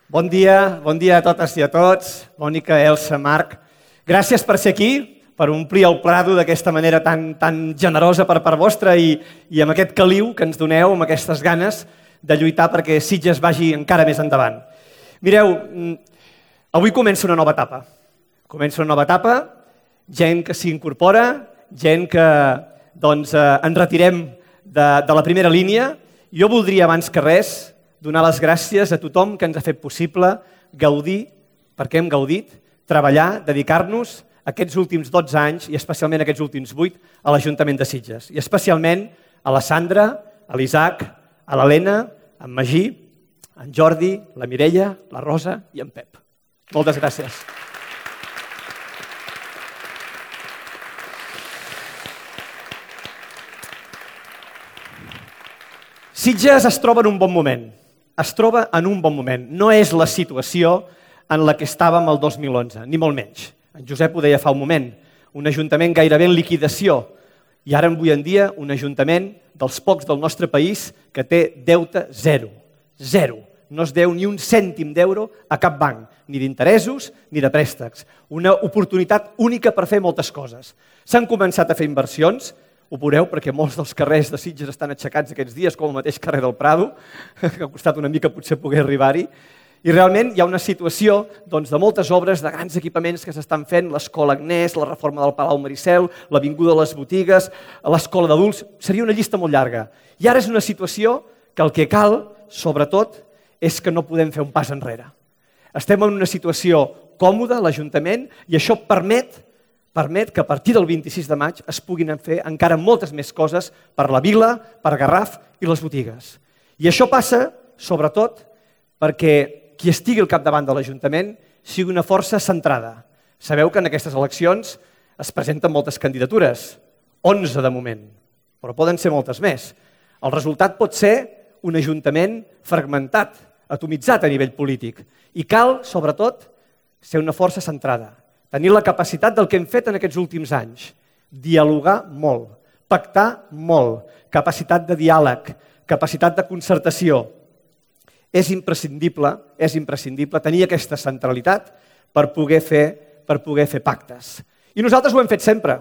Bon dia a totes i a tots. Mònica, Elsa, Marc, gràcies per ser aquí, per omplir el Prado d'aquesta manera tan generosa per part vostra i amb aquest caliu que ens doneu, amb aquestes ganes de lluitar perquè Sitges vagi encara més endavant. Mireu, avui comença una nova etapa. Comença una nova etapa, gent que s'hi incorpora, gent que ens retirem de la primera línia. Jo voldria, abans que res, donar les gràcies a tothom que ens ha fet possible gaudir, perquè hem gaudit, treballar, dedicar-nos aquests últims 12 anys i especialment aquests últims 8 a l'Ajuntament de Sitges. I especialment a la Sandra, a l'Isaac, a l'Helena, en Magí, en Jordi, la Mireia, la Rosa i en Pep. Moltes gràcies. Sitges es troba en un bon moment. Es troba en un bon moment. No és la situació en la que estàvem el 2011, ni molt menys. En Josep ho deia fa un moment, un ajuntament gairebé en liquidació i ara avui en dia un ajuntament dels pocs del nostre país que té deute zero. Zero. No es deu ni un cèntim d'euro a cap banc, ni d'interessos ni de préstecs. Una oportunitat única per fer moltes coses. S'han començat a fer inversions, ho veureu perquè molts dels carrers de Sitges estan aixecats aquests dies, com el mateix carrer del Prado, que ha costat una mica potser poder arribar-hi. I realment hi ha una situació de moltes obres, de grans equipaments que s'estan fent, l'Escola Agnès, la reforma del Palau Maricel, l'Avinguda de les Botigues, l'Escola d'Adults, seria una llista molt llarga. I ara és una situació que el que cal, sobretot, és que no podem fer un pas enrere. Estem en una situació còmoda, l'Ajuntament, i això permet que a partir del 26 de maig es puguin fer encara moltes més coses per la vila, per Garraf i les botigues. I això passa, sobretot, perquè qui estigui al capdavant de l'Ajuntament sigui una força centrada. Sabeu que en aquestes eleccions es presenten moltes candidatures, 11 de moment, però poden ser moltes més. El resultat pot ser un Ajuntament fragmentat, atomitzat a nivell polític. I cal, sobretot, ser una força centrada. Tenir la capacitat del que hem fet en aquests últims anys. Dialogar molt, pactar molt, capacitat de diàleg, capacitat de concertació. És imprescindible tenir aquesta centralitat per poder fer pactes. I nosaltres ho hem fet sempre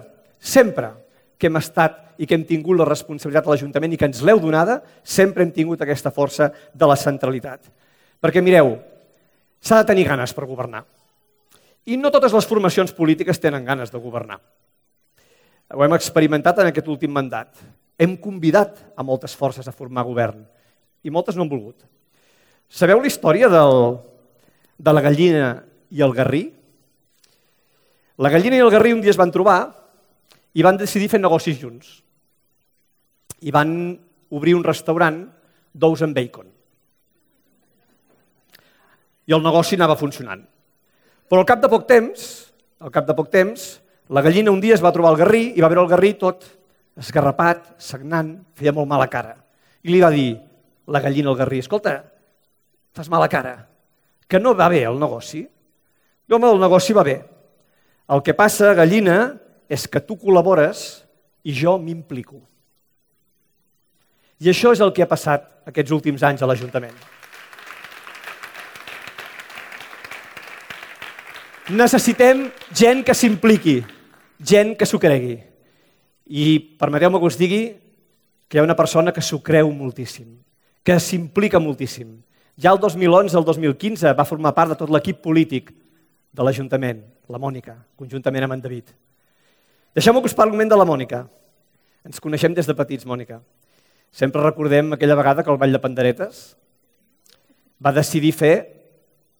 que hem estat i que hem tingut la responsabilitat de l'Ajuntament i que ens l'heu donada, sempre hem tingut aquesta força de la centralitat. Perquè mireu, s'ha de tenir ganes per governar. I no totes les formacions polítiques tenen ganes de governar. Ho hem experimentat en aquest últim mandat. Hem convidat a moltes forces a formar govern i moltes no han volgut. Sabeu la història de la gallina i el garrí? La gallina i el garrí un dia es van trobar i van decidir fer negocis junts. I van obrir un restaurant d'ous amb bacon. I el negoci anava funcionant. Però al cap de poc temps, la gallina un dia es va trobar el garrí i va veure el garrí tot esgarrapat, sagnant, feia molt mala cara. I li va dir la gallina al garrí, escolta, fas mala cara, que no va bé el negoci. Home, el negoci va bé. El que passa, gallina, és que tu col·labores i jo m'implico. I això és el que ha passat aquests últims anys a l'Ajuntament. Necessitem gent que s'impliqui, gent que s'ho cregui. I permeteu-me que us digui que hi ha una persona que s'ho creu moltíssim, que s'implica moltíssim. Ja el 2011, el 2015 va formar part de tot l'equip polític de l'Ajuntament, la Mònica, conjuntament amb en David. Deixeu-me que us parli un moment de la Mònica. Ens coneixem des de petits, Mònica. Sempre recordem aquella vegada que el Ball de Panderetes va decidir fer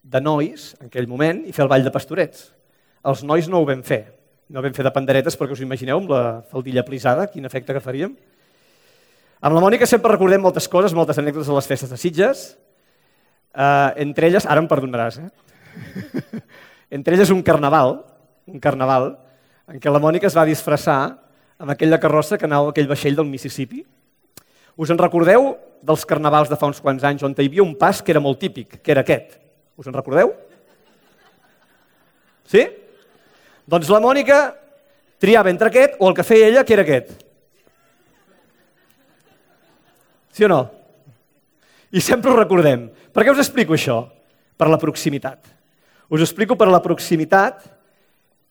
de nois, en aquell moment, i fer el ball de pastorets. Els nois no ho vam fer. No ho vam fer de panderetes perquè us imagineu amb la faldilla plisada, quin efecte que faríem. Amb la Mònica sempre recordem moltes coses, moltes anècdotes de les festes de Sitges. Entre elles, ara em perdonaràs, entre elles un carnaval en què la Mònica es va disfressar amb aquella carrossa que anava a aquell vaixell del Mississippi. Us en recordeu dels carnavals de fa uns quants anys on hi havia un pas que era molt típic, que era aquest? Us en recordeu? Sí? Doncs la Mònica triava entre aquest o el que feia ella, que era aquest. Sí o no? I sempre ho recordem. Per què us explico això? Per la proximitat. Us ho explico per la proximitat,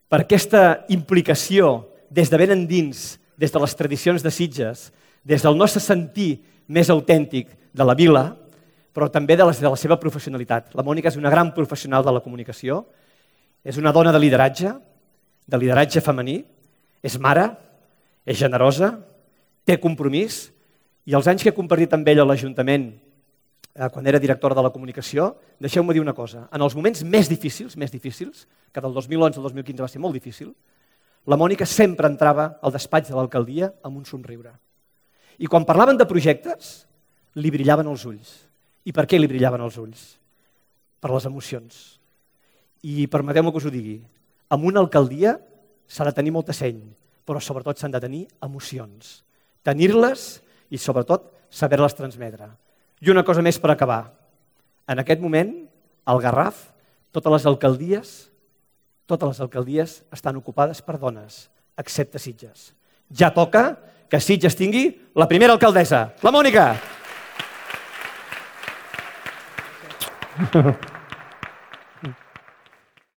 per aquesta implicació des de ben endins, des de les tradicions de Sitges, des del nostre sentir més autèntic de la vila, però també de la seva professionalitat. La Mònica és una gran professional de la comunicació, és una dona de lideratge femení, és mare, és generosa, té compromís, i els anys que he compartit amb ella a l'Ajuntament, quan era directora de la comunicació, deixeu-me dir una cosa, en els moments més difícils, que del 2011 al 2015 va ser molt difícil, la Mònica sempre entrava al despatx de l'alcaldia amb un somriure. I quan parlaven de projectes, li brillaven els ulls. I per què li brillaven els ulls? Per les emocions. I permeteu-me que us ho digui, en una alcaldia s'ha de tenir molta seny, però sobretot s'han de tenir emocions. Tenir-les i sobretot saber-les transmetre. I una cosa més per acabar. En aquest moment, al Garraf, totes les alcaldies estan ocupades per dones, excepte Sitges. Ja toca que Sitges tingui la primera alcaldessa, la Mònica.